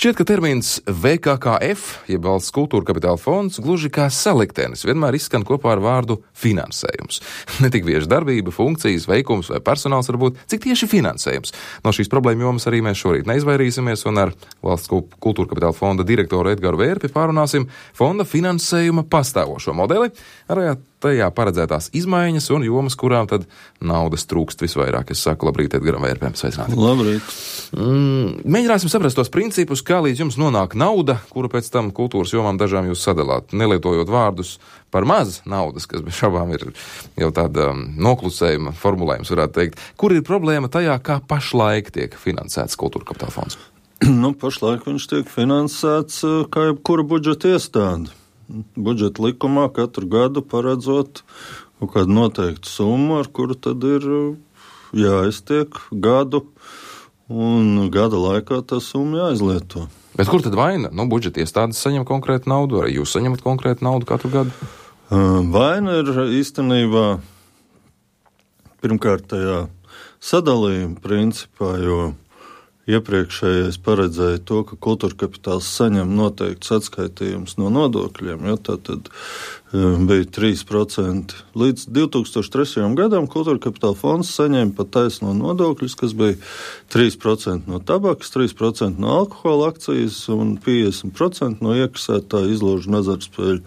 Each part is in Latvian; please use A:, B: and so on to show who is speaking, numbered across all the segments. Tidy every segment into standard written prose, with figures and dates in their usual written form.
A: Šķiet, ka termins VKKF, jeb Valsts kultūra kapitāla fonds, gluži kā saliktenis, vienmēr izskan kopā ar vārdu finansējums. Ne tik bieži darbība, funkcijas, veikums vai personāls varbūt, cik tieši finansējums. No šīs problēma jomas arī mēs šorīt neizvairīsimies un ar Valsts kultūra kapitāla fonda direktoru Edgaru Vērpi pārunāsim fonda finansējuma pastāvošo modeli, arī tajā paredzētās izmaiņas un jomas, kurām tad naudas trūkst visvairāk. Es saku labrīt Edgaram Vērpēm. Sveicināti.
B: Labrīt.
A: Mēģināsim saprast tos principus, kā līdz jums nonāk nauda, kuru pēc tam kultūras jomām dažām jūs sadalāt, nelietojot vārdus par maz naudas, kas bez šabām ir jau tāda noklusējuma formulējums, varētu teikt. Kur ir problēma tajā, kā pašlaik tiek finansēts kultūra kapitāla fonds?
B: Pašlaik viņš tiek finansēts kā jebkura budžeta iestāde. Budžeta likumā katru gadu paredzot kaut kādu noteiktu summu, ar kuru tad ir jāiztiek gadu, un gada laikā tā summa jāizlieto.
A: Bet kur tad vaina? Budžeta iestādes saņem konkrētu naudu, vai jūs saņemat konkrētu naudu katru gadu?
B: Vaina ir īstenībā pirmkārt tajā sadalījuma principā, jo iepriekšējais paredzēja to, ka kultūra kapitāls saņem noteikts atskaitījums no nodokļiem. Ja, tātad bija 3%. Līdz 2003. gadam kultūra kapitāla fonds saņēma pat taisno nodokļus, kas bija 3% no tabakas, 3% no alkohola akcijas un 50% no iekasētā izložu azartspēļu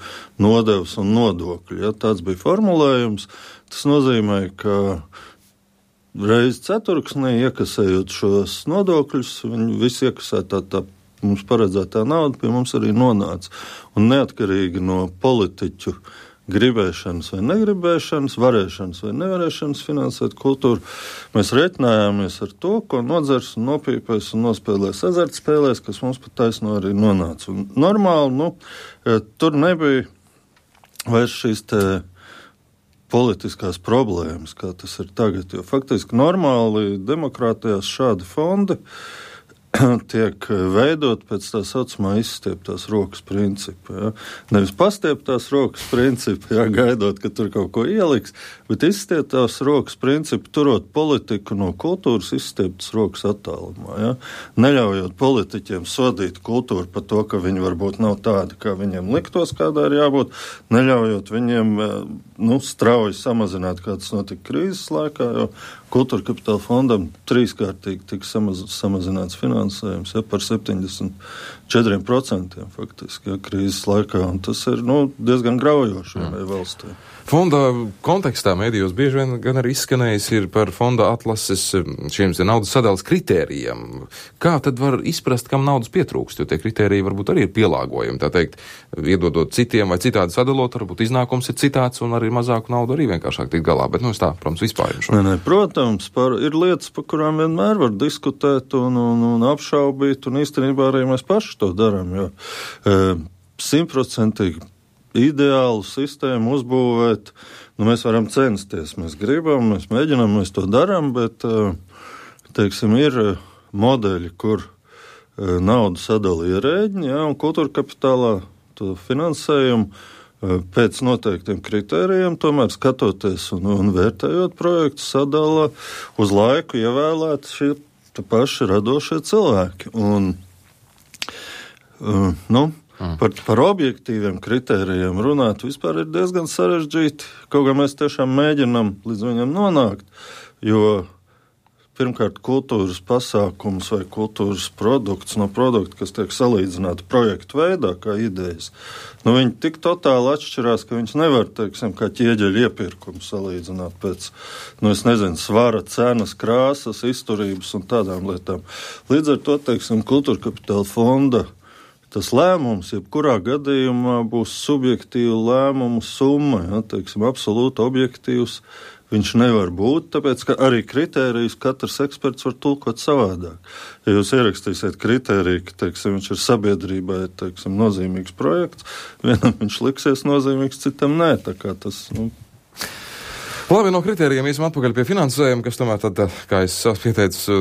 B: nodevas un nodokļu. Ja, tāds bija formulējums. Tas nozīmē, ka reiz ceturksnī, iekasējot šos nodokļus, viņi visi iekasētā tā mums paredzētā nauda pie mums arī nonāca. Un neatkarīgi no politiķu gribēšanas vai negribēšanas, varēšanas vai nevarēšanas finansēt kultūru, mēs reiķinājāmies ar to, ko nodzers un nopīpēs un nospēlēs azartspēlēs, kas mums pat taisno arī nonāca. Un normāli, tur nebija vairs šīs te politiskās problēmas, kā tas ir tagad, jo faktiski normāli demokrātijās šādi fondi tiek veidot pēc tā saucamā izstieptās rokas principa. Ja? Nevis pastieptās rokas principa, ja, gaidot, ka tur kaut ko ieliks, bet izstieptās rokas principa, turot politiku no kultūras izstieptas rokas attālumā. Ja? Neļaujot politiķiem sodīt kultūru par to, ka viņi varbūt nav tādi, kā viņiem liktos, kādā ir jābūt, neļaujot viņiem strauji samazināt, kā tas notika krīzes laikā, jo kultūra kapitāla fondam trīskārtīgi tika samazināts finansējums, ja, par 74% faktiski, ja, krīzes laikā, un tas ir diezgan graujoši valstī.
A: Fonda kontekstā mēdījos bieži vien gan arī izskanējis ir par fonda atlases šiem naudas sadalas kritērijiem. Kā tad var izprast, kam naudas pietrūkst, jo tie kritēriji varbūt arī ir pielāgojumi, tā teikt, iedodot citiem vai citādi sadalot, varbūt iznākums ir citāds un arī mazāku naudu arī vienkāršāk tikt galā, bet es tā, protams, vispārīšu.
B: Nē, protams, ir lietas, par kurām vienmēr var diskutēt un apšaubīt, un īstenībā arī mēs paši to darām, jo 100% ideālu sistēmu uzbūvēt, mēs varam censties, mēs gribam, mēs mēģinām, mēs to darām, bet, ir modeļi, kur naudu sadala ierēģi, ja, un kultūra kapitālā to finansējumu pēc noteiktiem kritērijiem, tomēr skatoties un vērtējot projektu, sadala uz laiku ievēlēt šie paši radošie cilvēki. Un, Par objektīviem kritērijiem runāt vispār ir diezgan sarežģīti, kaut kā mēs tiešām mēģinām līdz viņam nonākt, jo pirmkārt kultūras pasākums vai kultūras produkts no produkta, kas tiek salīdzināti projektu veidā, kā idejas, viņi tik totāli atšķirās, ka viņš nevar, kā ķieģeļu iepirkumu salīdzināt pēc, svara, cenas, krāsas, izturības un tādām lietām. Līdz ar to, kultūra kapitāla fonda tas lēmums, jebkurā gadījumā būs subjektīva lēmumu summa, ja, absolūti objektīvs viņš nevar būt, tāpēc, ka arī kritērijus katrs eksperts var tulkot savādāk. Ja jūs ierakstīsiet kritēriju, ka, viņš ir sabiedrībai, nozīmīgs projekts, vienam viņš liksies nozīmīgs, citam nē, tā kā tas,
A: Labi, no kritērijiem iesim atpakaļ pie finansējuma, kas tomēr tad, kā es pieteicu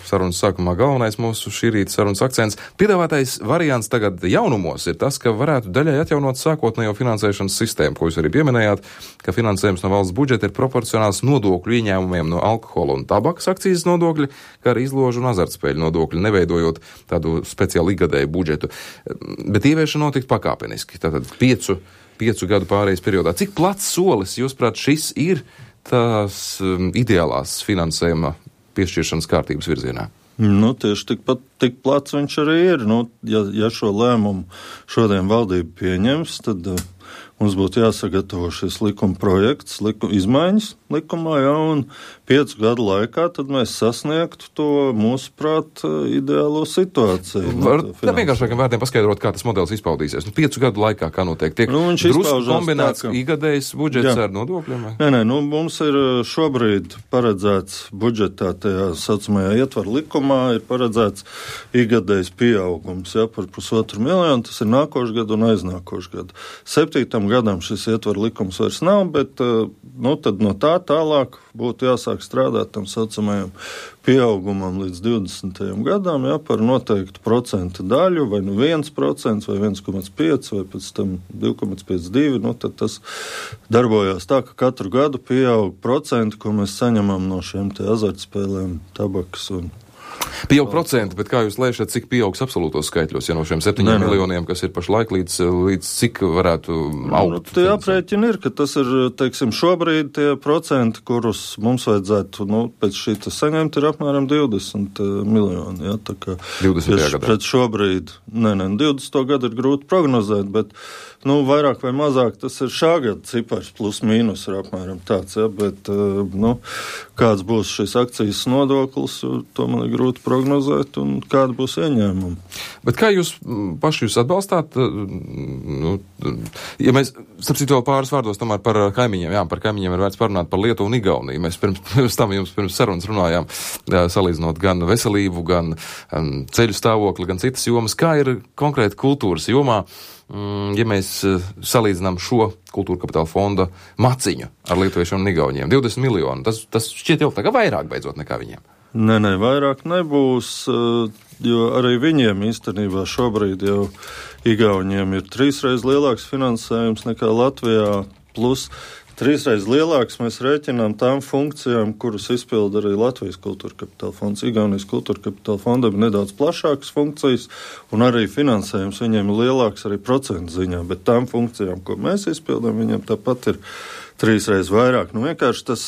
A: sarunas sākumā, galvenais mūsu šī rīta sarunas akcents. Piedāvātais variants tagad jaunumos ir tas, ka varētu daļai atjaunot sākotnējo finansēšanas sistēmu, ko jūs arī pieminējāt, ka finansējums no valsts budžeta ir proporcionāls nodokļu ieņēmumiem no alkohola un tabakas akcīzes nodokļi, kā arī izložu un azartspēļu nodokļi, neveidojot tādu speciālu ikgadēju budžetu. Bet ieviešana notikt pakāpeniski, tātad 5 gadu pārejas periodā. Cik plats solis, jūsuprāt, šis ir tās ideālās finansējuma piešķiršanas kārtības virzienā?
B: Tieši tik plats viņš arī ir. Ja šo lēmumu šodien valdība pieņems, tad mums būtu jāsagatavo šis likuma projekts, izmaiņas likumā, un 5 gadu laikā tad mēs sasniegtu to, mūsuprāt, ideālo situāciju.
A: Tā vienkāršākiem vārdiem paskaidrot, kā tas modelis izpaudīsies. 5 gadu laikā, kā notiek, tiek drusku kombinēts ikgadējs budžets ar nodokļiem?
B: Nē, mums ir šobrīd paredzēts budžetā, tajā saucamajā ietvaru likumā, ir paredzēts ikgadējs pieaugums, par 1,5 miljonu, tas ir nākošais gadu un aiznākošais gadu. 7. gadam šis ietvaru likums vairs nav, bet tad no tā tālāk būtu jāsāk strādāt tam saucamajam pieaugumam līdz 20. gadam, par noteiktu procentu daļu, vai 1%, vai 1,5%, vai pēc tam 2,52%, tad tas darbojās tā, ka katru gadu pieaug procenti, ko mēs saņemam no šiem te azartspēlēm, tabakas un
A: Pieaug procenti, bet kā jūs lēšat, cik pieaugs absolūtos skaitļos, ja no šiem 7 miljoniem, kas ir pašlaik, līdz cik varētu augt?
B: Tie aprēķini ir, ka tas ir, teiksim, šobrīd tie procenti, kurus mums vajadzētu, pēc šī saņemt, ir apmēram 20 miljoni. Ja, tā kā
A: 20. gadā.
B: Pret šobrīd, 20. gadu ir grūti prognozēt, bet vairāk vai mazāk tas ir šā gada cipars, plus mīnus ir apmēram tāds, bet kāds būs šis akcijas nodoklis, to man ir grūti prognozēt, un kāda būs ieņēmuma.
A: Bet kā jūs paši atbalstāt, ja mēs, starp citu vēl pāris vārdos tomēr par kaimiņiem, par kaimiņiem ir vērts parunāt par Lietuvu un Igauniju. Mēs pirms sarunas runājām, salīdzinot gan veselību, gan ceļu stāvokli, gan citas jomas. Kā ir konkrēti kultūras jomā, ja mēs salīdzinām šo kultūra kapitāla fonda maciņu ar lietuviešiem un igauņiem? 20 miljoni, tas šķiet jau tagad vairāk beidzot nekā viņiem.
B: Nē, vairāk nebūs, jo arī viņiem īstenībā šobrīd jau igauņiem ir 3 reizes lielāks finansējums nekā Latvijā, plus 3 reizes lielāks mēs rēķinām tām funkcijām, kuras izpilda arī Latvijas kultūra kapitāla fonds. Igaunijas kultūra kapitāla fondam ir nedaudz plašākas funkcijas, un arī finansējums viņiem ir lielāks arī procentu ziņā, bet tām funkcijām, ko mēs izpildām, viņiem tāpat ir 3 reizes vairāk. Vienkārši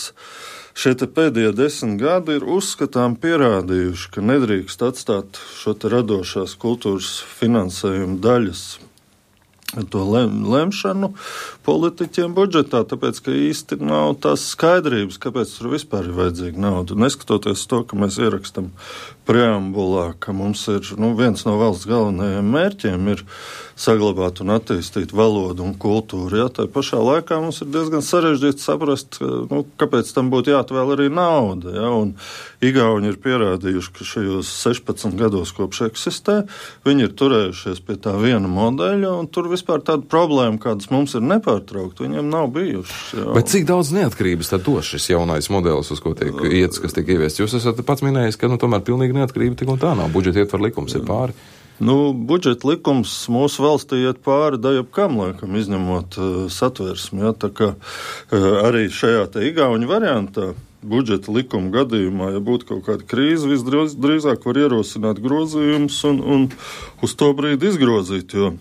B: šie pēdējie 10 gadi ir uzskatām pierādījuši, ka nedrīkst atstāt šo radošās kultūras finansējumu daļas to lemšanu politiķiem budžetā, tāpēc, ka īsti nav tās skaidrības, kāpēc tur vispār ir vajadzīga nauda. Neskatoties to, ka mēs ierakstam preambulā, ka mums ir viens no valsts galvenajiem mērķiem ir saglabāt un attīstīt valodu un kultūru. Tā pašā laikā mums ir diezgan sarežģīti saprast, kāpēc tam būtu jāatvēl arī nauda. Un Igauni ir pierādījuši, ka šajos 16 gados kopš eksistē, viņi ir turējušies pie tā viena modeļa, un tur vispār tāda problēma, kādas mums ir nepārtraukt, viņiem nav bijušas.
A: Bet cik daudz neatkarības tad dos šis jaunais modelis, uz ko tiek iets, kas tiek ieviests? Jūs esat pats minējis, ka tomēr pilnīgi neatkarība tik un tā nav. Budžeta ietvar likums ir pāri.
B: Budžeta likums mūsu valstī iet pāri dajabkam, laikam, izņemot satversmi. Tā kā arī šajā igauņu variantā budžeta likuma gadījumā, ja būtu kaut kāda krīze, visdrīzāk var ierosināt grozījumus un uz to brīdi izgrozīt, jo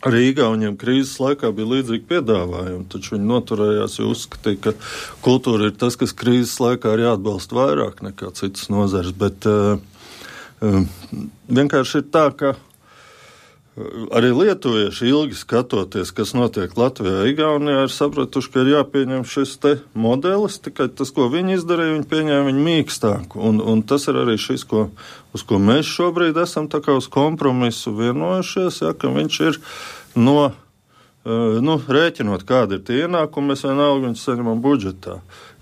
B: arī igauņiem krīzes laikā bija līdzīgi piedāvājumi, taču viņi noturējās, jo uzskatīja, ka kultūra ir tas, kas krīzes laikā ir jāatbalsta vairāk nekā citas nozares, bet vienkārši ir tā, ka arī lietuvieši ilgi skatoties, kas notiek Latvijā, Igaunijā, ir sapratuši, ka ir jāpieņem šis modelis, tikai tas, ko viņi izdarīja, viņi pieņēma viņu mīkstāku. Un tas ir arī šis, uz ko mēs šobrīd esam tā kā uz kompromisu vienojušies, ka viņš ir no rēķinot, kāda ir tie ienākumi, mēs vienalga viņus saņemam budžetā.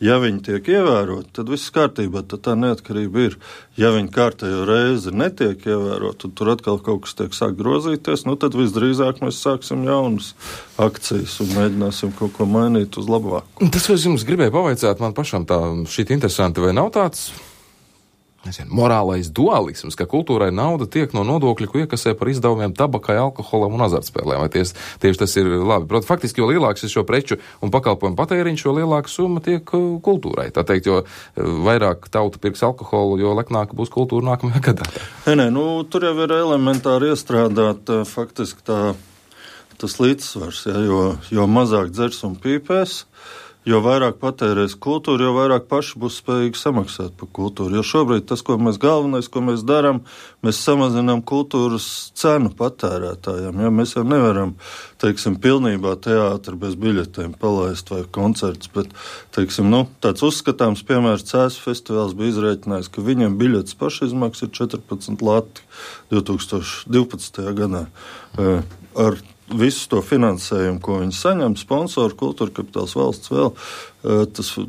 B: Ja viņi tiek ievēroti, tad viss kārtībā, tad tā neatkarība ir. Ja viņi kārtējo reizi netiek ievēroti, tad tur atkal kaut kas tiek sāk grozīties, tad visdrīzāk mēs sāksim jaunas akcijas un mēģināsim kaut ko mainīt uz labāku.
A: Tas, ko es jums gribēju pavaicāt, man pašam tā šķiet interesanti, vai nav tāds morālais dualisms, ka kultūrai nauda tiek no nodokļu, ko iekasē par izdevumiem tabakai, alkoholam un azartspēlēm. Vai tieši tas ir labi? Protams, faktiski, jo lielāks ir šo preču un pakalpojumu patēriņš, jo lielāka summa tiek kultūrai. Tā teikt, jo vairāk tauta pirks alkoholu, jo leknāka būs kultūra nākamajā gadā.
B: Nē, tur jau ir elementāri iestrādāt faktiski tas līdzsvars, jo mazāk dzers un pīpēs, jo vairāk patērēs kultūru, jo vairāk paši būs spējīgi samaksāt par kultūru. Jo šobrīd tas, ko mēs darām, mēs samazinām kultūras cenu patērētājiem. Ja? Mēs jau nevaram, pilnībā teātri bez biļetēm palaist vai koncerts, bet, tāds uzskatāms piemērs Cēsu festivāls bija izrēķinājis, ka viņam biļetes pašizmaksas ir 14 lati 2012. gadā. Ar visu to finansējumu, ko viņi saņem, sponsoru, kultūra kapitāls valsts vēl,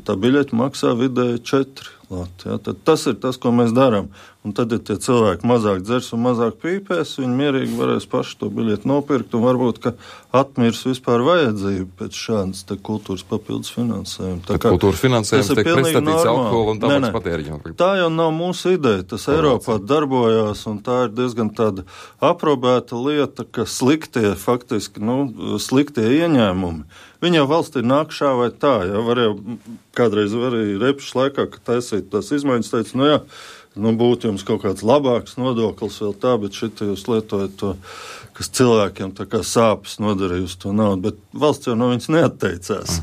B: tā biļeķa maksā vidēji 4 lati. Ja? Tad tas ir tas, ko mēs darām. Un tad, ja tie cilvēki mazāk dzers un mazāk pīpēs, viņi mierīgi varēs paši to biļeti nopirkt un varbūt, ka atmirs vispār vajadzību pēc šādas kultūras papildus finansējuma.
A: Kultūras finansējums tiek pretstatīts alkoholu un tabaks patēriņam.
B: Tā jau nav mūsu ideja. Tas Eiropā darbojās un tā ir diezgan tāda aprobēta lieta, ka sliktie ieņēmumi, viņi jau valstī nāk šā vai tā. Ja? Kādreiz arī Repšas laikā, kad taisīt tās izmaiņas, teica, būtu jums kaut kāds labāks nodoklis vēl tā, bet šitā jūs lietojat to, kas cilvēkiem tā kā sāpes nodarīja uz to naudu, bet valsts jau no viņas neatteicās.